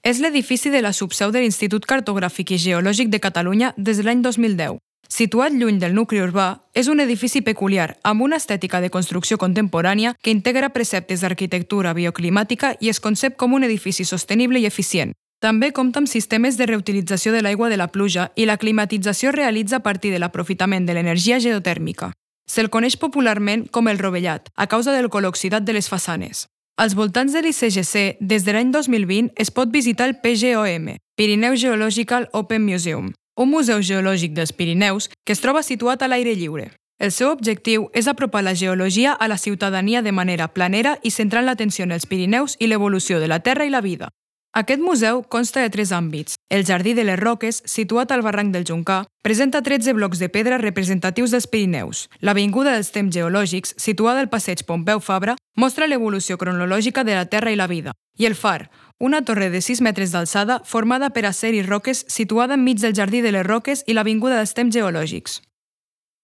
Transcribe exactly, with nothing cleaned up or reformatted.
És l'edifici de la subseu de l'Institut Cartogràfic i Geològic de Catalunya des de l'any dos mil deu. Situat lluny del nucli urbà, és un edifici peculiar, amb una estètica de construcció contemporània que integra preceptes d'arquitectura bioclimàtica i es concep com un edifici sostenible i eficient. També compta amb sistemes de reutilització de l'aigua de la pluja i la climatització es realitza a partir de l'aprofitament de l'energia geotèrmica. Se'l coneix popularment com el rovellat, a causa del color oxidat de les façanes. Als voltants de l'I C G C, des de l'any dos mil vint, es pot visitar el P G O M, Pirineu Geological Open Museum, un museu geològic dels Pirineus que es troba situat a l'aire lliure. El seu objectiu és apropar la geologia a la ciutadania de manera planera i centrant l'atenció en els Pirineus i l'evolució de la Terra i la vida. Aquest museu consta de tres àmbits. El Jardí de les Roques, situat al barranc del Joncar, presenta tretze blocs de pedra representatius dels Pirineus. L'Avinguda dels Temps Geològics, situada al passeig Pompeu Fabra, mostra l'evolució cronològica de la Terra i la vida. I el Far, una torre de sis metres d'alçada formada per acer i roques situada enmig del Jardí de les Roques i l'Avinguda dels Temps Geològics.